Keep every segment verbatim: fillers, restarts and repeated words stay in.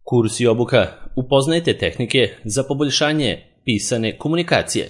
Kurs i obuka. Upoznajte tehnike za poboljšanje pisane komunikacije.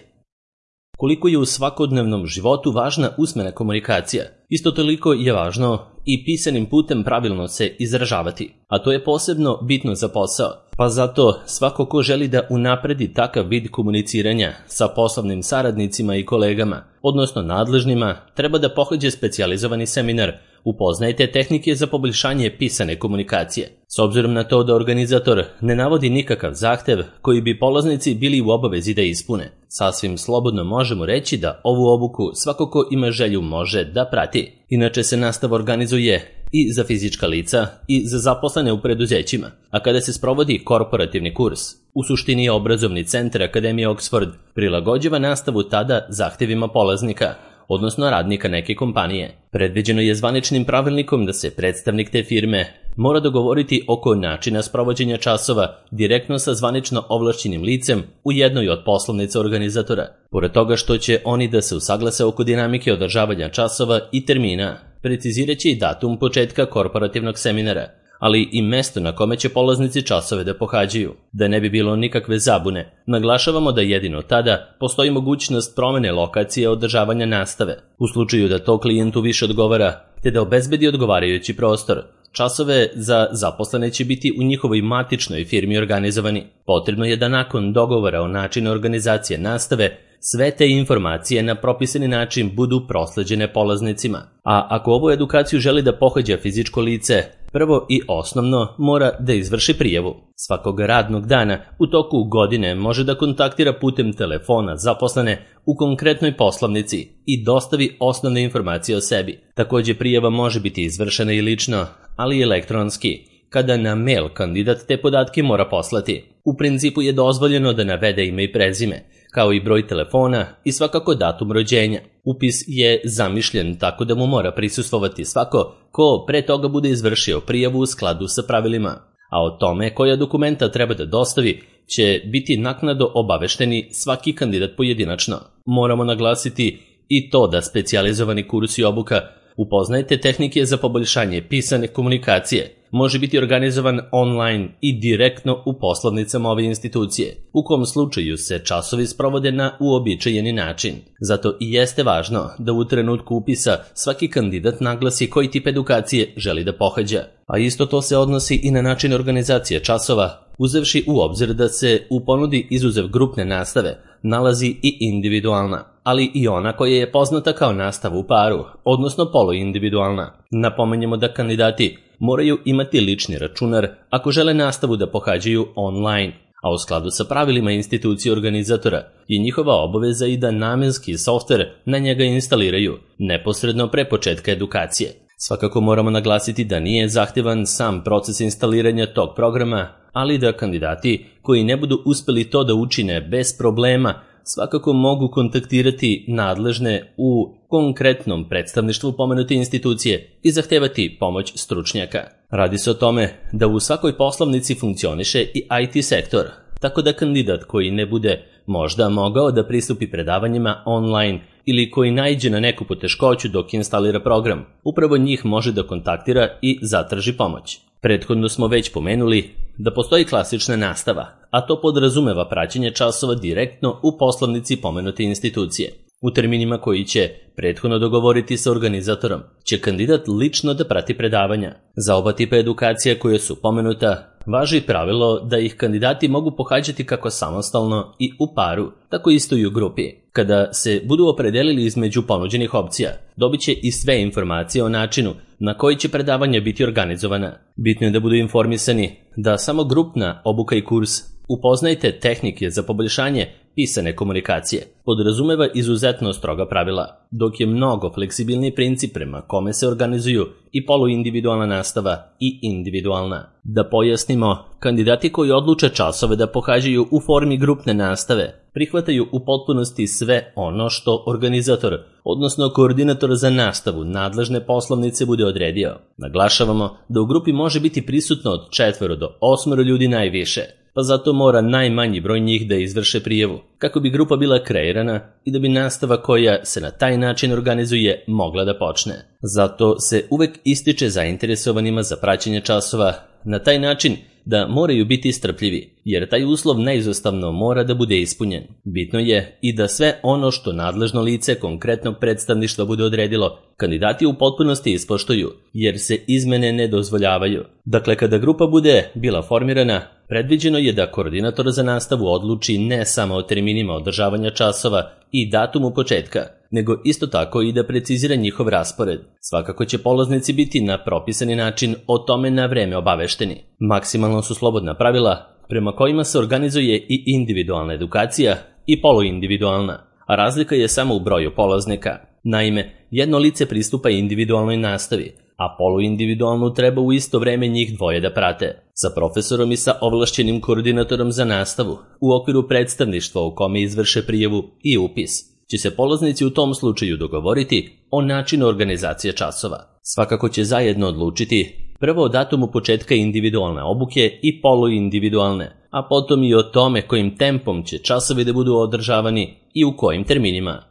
Koliko je u svakodnevnom životu važna usmena komunikacija, isto toliko je važno i pisanim putem pravilno se izražavati, a to je posebno bitno za posao, pa zato svako ko želi da unapredi takav vid komuniciranja sa poslovnim saradnicima i kolegama, odnosno nadležnima, treba da pohađa specijalizovani seminar Upoznajte tehnike za poboljšanje pisane komunikacije. S obzirom na to da organizator ne navodi nikakav zahtev koji bi polaznici bili u obavezi da ispune, sasvim slobodno možemo reći da ovu obuku svako ko ima želju može da prati. Inače se nastava organizuje i za fizička lica i za zaposlene u preduzećima, a kada se sprovodi korporativni kurs, u suštini je obrazovni centar Akademije Oxford prilagođava nastavu tada zahtevima polaznika, odnosno radnika neke kompanije. Predviđeno je zvaničnim pravilnikom da se predstavnik te firme mora dogovoriti oko načina sprovođenja časova direktno sa zvanično ovlašćenim licem u jednoj od poslovnica organizatora. Pored toga što će oni da se usaglase oko dinamike održavanja časova i termina, precizirat će i datum početka korporativnog seminara, ali i mesto na kome će polaznici časove da pohađaju. Da ne bi bilo nikakve zabune, naglašavamo da jedino tada postoji mogućnost promene lokacije održavanja nastave, u slučaju da to klijentu više odgovara, te da obezbedi odgovarajući prostor. Časove za zaposlene će biti u njihovoj matičnoj firmi organizovani. Potrebno je da nakon dogovora o načinu organizacije nastave, sve te informacije na propisani način budu prosleđene polaznicima. A ako ovu edukaciju želi da pohađa fizičko lice, prvo i osnovno mora da izvrši prijavu. Svakog radnog dana u toku godine može da kontaktira putem telefona zaposlene u konkretnoj poslovnici i dostavi osnovne informacije o sebi. Takođe prijava može biti izvršena i lično, ali i elektronski, kada na mail kandidat te podatke mora poslati. U principu je dozvoljeno da navede ime i prezime, kao i broj telefona i svakako datum rođenja. Upis je zamišljen tako da mu mora prisustvovati svako ko pre toga bude izvršio prijavu u skladu sa pravilima, a o tome koja dokumenta treba da dostavi će biti naknadno obavešteni svaki kandidat pojedinačno. Moramo naglasiti i to da specijalizovani kurs i obuka Upoznajte tehnike za poboljšanje pisane komunikacije može biti organizovan online i direktno u poslovnicama ove institucije, u kom slučaju se časovi sprovode na uobičajeni način. Zato i jeste važno da u trenutku upisa svaki kandidat naglasi koji tip edukacije želi da pohađa, a isto to se odnosi i na način organizacije časova, uzevši u obzir da se u ponudi izuzev grupne nastave nalazi i individualna, ali i ona koja je poznata kao nastava u paru, odnosno poluindividualna. Napomenjemo da kandidati moraju imati lični računar ako žele nastavu da pohađaju online, a u skladu sa pravilima institucije organizatora je njihova obaveza i da namenski softver na njega instaliraju neposredno pre početka edukacije. Svakako moramo naglasiti da nije zahtevan sam proces instaliranja tog programa, ali da kandidati koji ne budu uspeli to da učine bez problema svakako mogu kontaktirati nadležne u konkretnom predstavništvu pomenute institucije i zahtevati pomoć stručnjaka. Radi se o tome da u svakoj poslovnici funkcioniše i I T sektor, tako da kandidat koji ne bude možda mogao da pristupi predavanjima online ili koji naiđe na neku poteškoću dok instalira program, upravo njih može da kontaktira i zatraži pomoć. Prethodno smo već pomenuli da postoji klasična nastava, a to podrazumeva praćenje časova direktno u poslovnici pomenute institucije. U terminima koji će prethodno dogovoriti sa organizatorom, će kandidat lično da prati predavanja. Za oba tipa edukacija koje su pomenuta, važi pravilo da ih kandidati mogu pohađati kako samostalno i u paru, tako isto i u grupi. Kada se budu opredelili između ponuđenih opcija, dobit će i sve informacije o načinu na koji će predavanja biti organizovana. Bitno je da budu informisani da samo grupna obuka i kurs Upoznajte tehnike za poboljšanje pisane komunikacije podrazumeva izuzetno stroga pravila, dok je mnogo fleksibilni princip prema kome se organizuju i poluindividualna nastava i individualna. Da pojasnimo, kandidati koji odluče časove da pohađaju u formi grupne nastave prihvataju u potpunosti sve ono što organizator, odnosno koordinator za nastavu nadležne poslovnice bude odredio. Naglašavamo da u grupi može biti prisutno od četvoro do osmoro ljudi najviše, pa zato mora najmanji broj njih da izvrše prijavu, kako bi grupa bila kreirana i da bi nastava koja se na taj način organizuje mogla da počne. Zato se uvek ističe zainteresovanima za praćenje časova. Na taj način da moraju biti strpljivi, jer taj uslov neizostavno mora da bude ispunjen. Bitno je i da sve ono što nadležno lice konkretnog predstavništva bude odredilo, kandidati u potpunosti ispoštuju, jer se izmene ne dozvoljavaju. Dakle, kada grupa bude bila formirana, predviđeno je da koordinator za nastavu odluči ne samo o terminima održavanja časova i datumu početka, nego isto tako i da precizira njihov raspored. Svakako će polaznici biti na propisani način o tome na vreme obavešteni. Maksimalno su slobodna pravila prema kojima se organizuje i individualna edukacija i poluindividualna, a razlika je samo u broju polaznika. Naime, jedno lice pristupa individualnoj nastavi, a poluindividualnu treba u isto vreme njih dvoje da prate, sa profesorom i sa ovlašćenim koordinatorom za nastavu, u okviru predstavništva u kome izvrše prijavu i upis. Će se polaznici u tom slučaju dogovoriti o načinu organizacije časova. Svakako će zajedno odlučiti prvo o datumu početka individualne obuke i poluindividualne, a potom i o tome kojim tempom će časovi da budu održavani i u kojim terminima.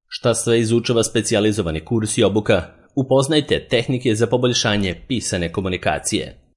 Šta sve izučava specijalizovani kurs i obuka? Upoznajte tehnike za poboljšanje pisane komunikacije.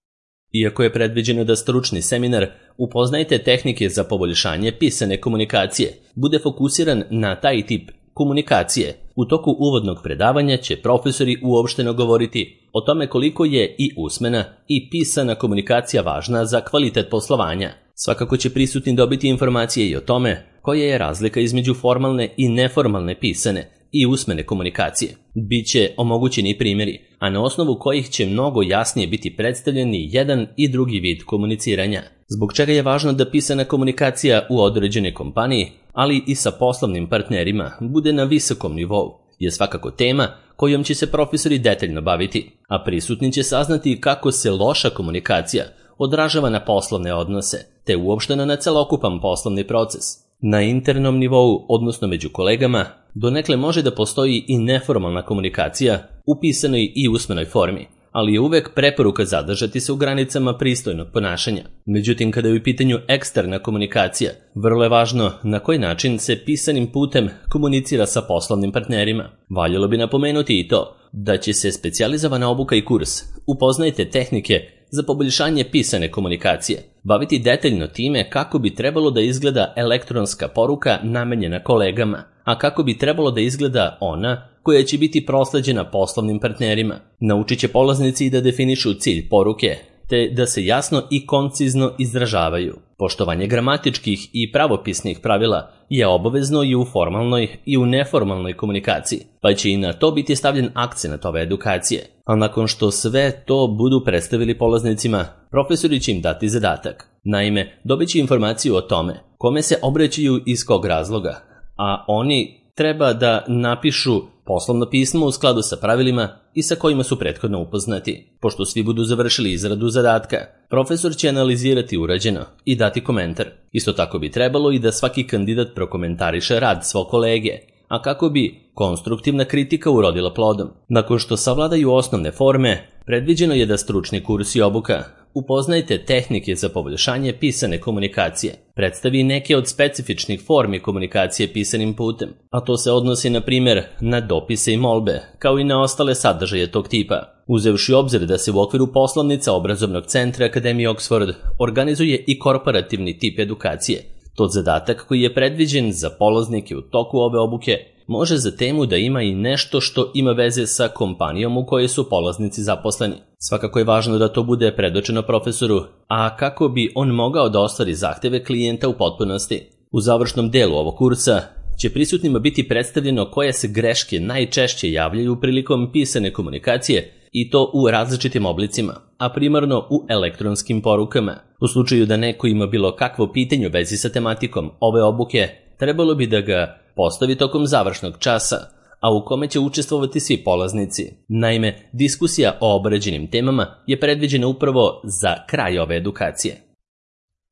Iako je predviđeno da stručni seminar Upoznajte tehnike za poboljšanje pisane komunikacije bude fokusiran na taj tip komunikacije, u toku uvodnog predavanja će profesori uopšteno govoriti o tome koliko je i usmena i pisana komunikacija važna za kvalitet poslovanja. Svakako će prisutni dobiti informacije i o tome koja je razlika između formalne i neformalne pisane i usmene komunikacije. Biće omogućeni primjeri, a na osnovu kojih će mnogo jasnije biti predstavljeni jedan i drugi vid komuniciranja. Zbog čega je važno da pisana komunikacija u određenoj kompaniji, ali i sa poslovnim partnerima, bude na visokom nivou, je svakako tema kojom će se profesori detaljno baviti, a prisutni će saznati kako se loša komunikacija odražava na poslovne odnose, te uopšteno na celokupan poslovni proces. Na internom nivou, odnosno među kolegama, donekle može da postoji i neformalna komunikacija u pisanoj i usmenoj formi, ali je uvek preporuka zadržati se u granicama pristojnog ponašanja. Međutim, kada je u pitanju eksterna komunikacija, vrlo je važno na koji način se pisanim putem komunicira sa poslovnim partnerima. Valjalo bi napomenuti i to da će se specijalizovana obuka i kurs Upoznajte tehnike za poboljšanje pisane komunikacije baviti detaljno time kako bi trebalo da izgleda elektronska poruka namenjena kolegama, a kako bi trebalo da izgleda ona koja će biti prosleđena poslovnim partnerima. Naučit će polaznici i da definišu cilj poruke, te da se jasno i koncizno izražavaju. Poštovanje gramatičkih i pravopisnih pravila je obavezno i u formalnoj i u neformalnoj komunikaciji, pa će i na to biti stavljen akcenat ove edukacije. A nakon što sve to budu predstavili polaznicima, profesori će im dati zadatak. Naime, dobit će informaciju o tome kome se obraćaju iz kog razloga, a oni treba da napišu poslovno pismo u skladu sa pravilima i sa kojima su prethodno upoznati. Pošto svi budu završili izradu zadatka, profesor će analizirati urađeno i dati komentar. Isto tako bi trebalo i da svaki kandidat prokomentariše rad svog kolege, a kako bi konstruktivna kritika urodila plodom. Nakon što savladaju osnovne forme, predviđeno je da stručni kurs i obuka Upoznajte tehnike za poboljšanje pisane komunikacije predstavi neke od specifičnih formi komunikacije pisanim putem, a to se odnosi na primjer na dopise i molbe, kao i na ostale sadržaje tog tipa. Uzevši obzir da se u okviru poslovnica obrazovnog centra Akademije Oxford organizuje i korporativni tip edukacije, to zadatak koji je predviđen za polaznike u toku ove obuke može za temu da ima i nešto što ima veze sa kompanijom u kojoj su polaznici zaposleni. Svakako je važno da to bude predočeno profesoru, a kako bi on mogao da ostvari zahteve klijenta u potpunosti. U završnom delu ovog kursa će prisutnima biti predstavljeno koje se greške najčešće javljaju prilikom pisane komunikacije i to u različitim oblicima, a primarno u elektronskim porukama. U slučaju da neko ima bilo kakvo pitanje u vezi sa tematikom ove obuke, trebalo bi da ga postavi tokom završnog časa, a u kome će učestvovati svi polaznici. Naime, diskusija o obrađenim temama je predviđena upravo za kraj ove edukacije.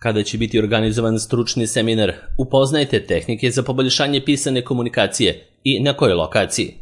Kada će biti organizovan stručni seminar Upoznajte tehnike za poboljšanje pisane komunikacije i na kojoj lokaciji?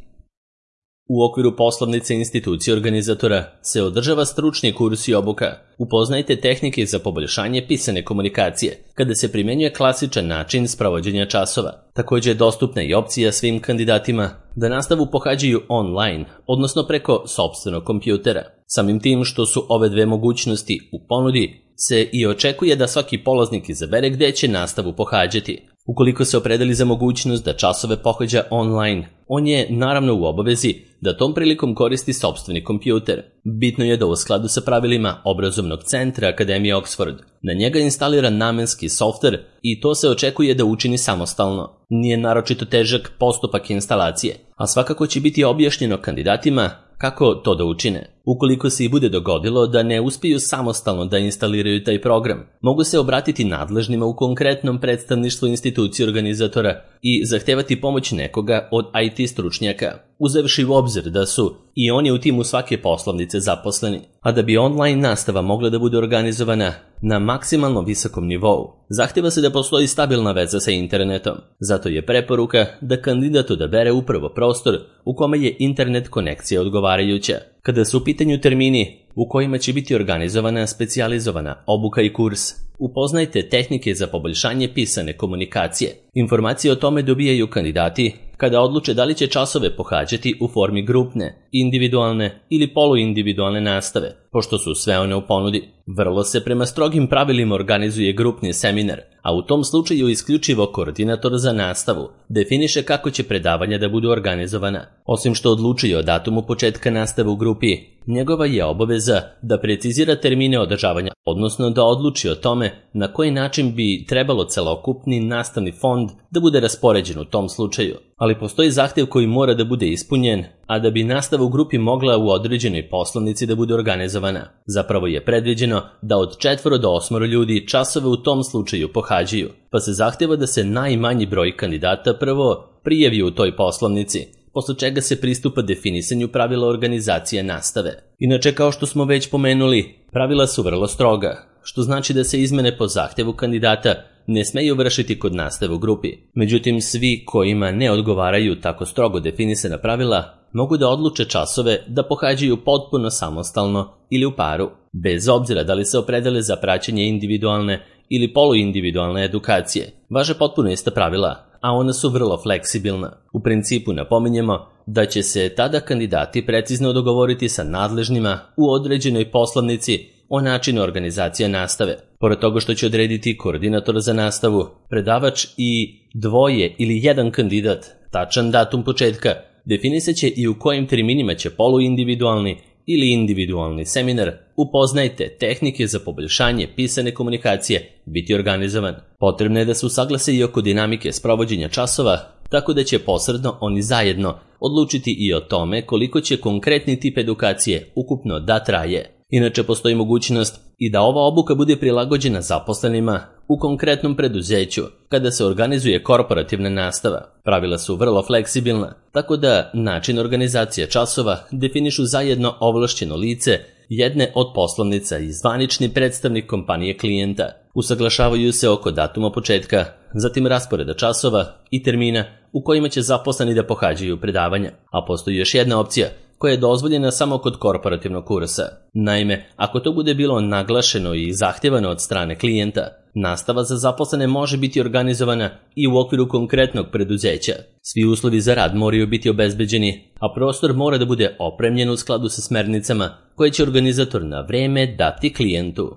U okviru poslovnice institucije organizatora se održava stručni kurs i obuka Upoznajte tehnike za poboljšanje pisane komunikacije, kada se primjenjuje klasičan način sprovođenja časova. Također je dostupna i opcija svim kandidatima da nastavu pohađaju online, odnosno preko sopstvenog kompjutera. Samim tim što su ove dve mogućnosti u ponudi, se i očekuje da svaki polaznik izabere gde će nastavu pohađati. Ukoliko se opredeli za mogućnost da časove pohađa online, on je naravno u obavezi da tom prilikom koristi sopstveni kompjuter. Bitno je da u skladu sa pravilima obrazovnog centra Akademije Oxford na njega instalira namenski softver i to se očekuje da učini samostalno. Nije naročito težak postupak instalacije, a svakako će biti objašnjeno kandidatima kako to da učine. Ukoliko se i bude dogodilo da ne uspiju samostalno da instaliraju taj program, mogu se obratiti nadležnima u konkretnom predstavništvu institucije organizatora i zahtevati pomoć nekoga od I T stručnjaka, uzevši u obzir da su i oni u timu svake poslovnice zaposleni. A da bi online nastava mogla da bude organizovana na maksimalno visokom nivou, zahteva se da postoji stabilna veza sa internetom. Zato je preporuka da kandidat odabere upravo prostor u kome je internet konekcija odgovarajuća. Kada su u pitanju termini u kojima će biti organizovana specijalizovana obuka i kurs, upoznajte tehnike za poboljšanje pisane komunikacije. Informacije o tome dobijaju kandidati kada odluče da li će časove pohađati u formi grupne, individualne ili poluindividualne nastave, pošto su sve one u ponudi. Vrlo se prema strogim pravilima organizuje grupni seminar, a u tom slučaju isključivo koordinator za nastavu definiše kako će predavanja da budu organizovana. Osim što odlučuje o datumu početka nastave u grupi, njegova je obaveza da precizira termine održavanja, odnosno da odluči o tome na koji način bi trebalo celokupni nastavni fond da bude raspoređen u tom slučaju. Ali postoji zahtev koji mora da bude ispunjen, a da bi nastava u grupi mogla u određenoj poslovnici da bude organizovana. Zapravo je predviđeno da od četvoro do osmoro ljudi časove u tom slučaju pohađaju, pa se zahteva da se najmanji broj kandidata prvo prijavi u toj poslovnici, posle čega se pristupa definisanju pravila organizacije nastave. Inače, kao što smo već pomenuli, pravila su vrlo stroga, što znači da se izmene po zahtevu kandidata ne smeju vršiti kod nastave u grupi. Međutim, svi kojima ne odgovaraju tako strogo definisana pravila mogu da odluče časove da pohađaju potpuno samostalno ili u paru, bez obzira da li se opredele za praćenje individualne ili poluindividualne edukacije. Važe potpuno ista pravila, a ona su vrlo fleksibilna. U principu napominjemo da će se tada kandidati precizno dogovoriti sa nadležnima u određenoj poslovnici o načinu organizacije nastave. Pored toga što će odrediti koordinator za nastavu, predavač i dvoje ili jedan kandidat, tačan datum početka, definisat će i u kojim terminima će poluindividualni ili individualni seminar upoznajte tehnike za poboljšanje pisane komunikacije biti organizovan. Potrebno je da se usaglase i oko dinamike sprovođenja časova, tako da će posredno oni zajedno odlučiti i o tome koliko će konkretni tip edukacije ukupno da traje. Inače, postoji mogućnost i da ova obuka bude prilagođena zaposlenima u konkretnom preduzeću kada se organizuje korporativna nastava. Pravila su vrlo fleksibilna, tako da način organizacije časova definišu zajedno ovlašćeno lice jedne od poslovnica i zvanični predstavnik kompanije klijenta. Usaglašavaju se oko datuma početka, zatim rasporeda časova i termina u kojima će zaposleni da pohađaju predavanja. A postoji još jedna opcija koja je dozvoljena samo kod korporativnog kursa. Naime, ako to bude bilo naglašeno i zahtjevano od strane klijenta, nastava za zaposlene može biti organizovana i u okviru konkretnog preduzeća. Svi uslovi za rad moraju biti obezbeđeni, a prostor mora da bude opremljen u skladu sa smernicama koje će organizator na vreme dati klijentu.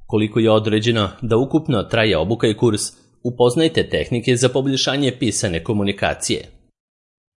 Koliko je određeno da ukupno traje obuka i kurs, upoznajte tehnike za poboljšanje pisane komunikacije.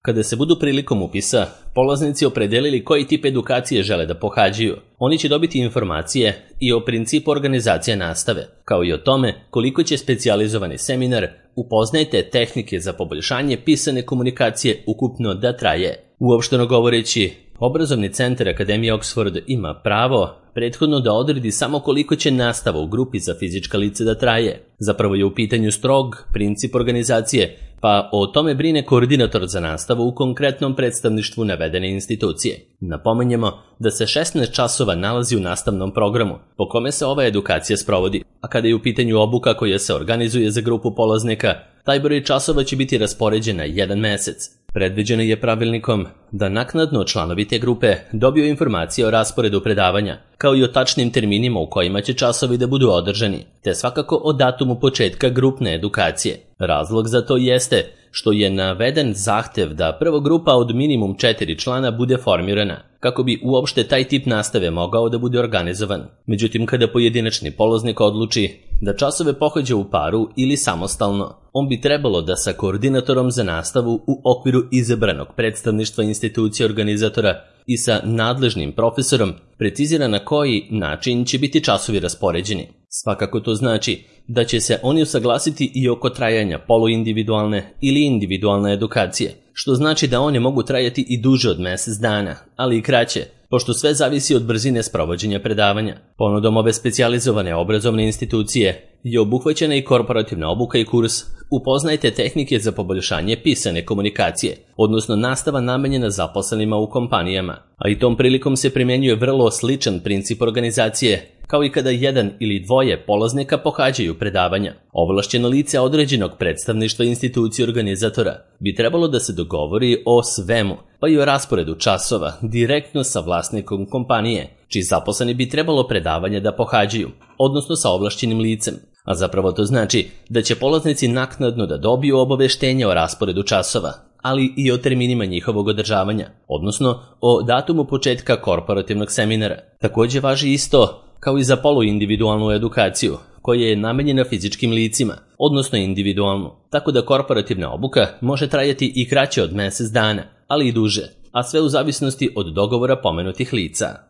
Kada se budu prilikom upisa polaznici opredelili koji tip edukacije žele da pohađaju, oni će dobiti informacije i o principu organizacije nastave, kao i o tome koliko će specijalizovani seminar upoznajte tehnike za poboljšanje pisane komunikacije ukupno da traje. Uopšteno govoreći, Obrazovni centar Akademije Oxford ima pravo prethodno da odredi samo koliko će nastava u grupi za fizička lica da traje. Zapravo je u pitanju strog princip organizacije, pa o tome brine koordinator za nastavu u konkretnom predstavništvu navedene institucije. Napominjemo da se šesnaest časova nalazi u nastavnom programu, po kome se ova edukacija sprovodi, a kada je u pitanju obuka koja se organizuje za grupu polaznika, taj broj časova će biti raspoređen na jedan mesec. Predviđeno je pravilnikom da naknadno članovi te grupe dobiju informacije o rasporedu predavanja, kao i o tačnim terminima u kojima će časovi da budu održani, te svakako o datumu početka grupne edukacije. Razlog za to jeste što je naveden zahtev da prva grupa od minimum četiri člana bude formirana, kako bi uopšte taj tip nastave mogao da bude organizovan. Međutim, kada pojedinačni polaznik odluči da časove pohađa u paru ili samostalno, on bi trebalo da sa koordinatorom za nastavu u okviru izabranog predstavništva institucije organizatora i sa nadležnim profesorom precizira na koji način će biti časovi raspoređeni. Svakako to znači da će se oni usaglasiti i oko trajanja poluindividualne ili individualne edukacije, što znači da one mogu trajati i duže od mesec dana, ali i kraće, pošto sve zavisi od brzine sprovođenja predavanja. Ponudom ove specijalizovane obrazovne institucije je obuhvaćena i korporativna obuka i kurs Upoznajte tehnike za poboljšanje pisane komunikacije, odnosno nastava namenjena zaposlenima u kompanijama, a i tom prilikom se primenjuje vrlo sličan princip organizacije, kao i kada jedan ili dvoje polaznika pohađaju predavanja. Ovlašćeno lice određenog predstavništva institucije organizatora bi trebalo da se dogovori o svemu, pa i o rasporedu časova direktno sa vlasnikom kompanije, čiji zaposleni bi trebalo predavanje da pohađaju, odnosno sa ovlašćenim licem. A zapravo to znači da će polaznici naknadno da dobiju obaveštenje o rasporedu časova, ali i o terminima njihovog održavanja, odnosno o datumu početka korporativnog seminara. Takođe važi isto kao i za poluindividualnu edukaciju, koja je namenjena fizičkim licima, odnosno individualnu, tako da korporativna obuka može trajati i kraće od mesec dana, ali i duže, a sve u zavisnosti od dogovora pomenutih lica.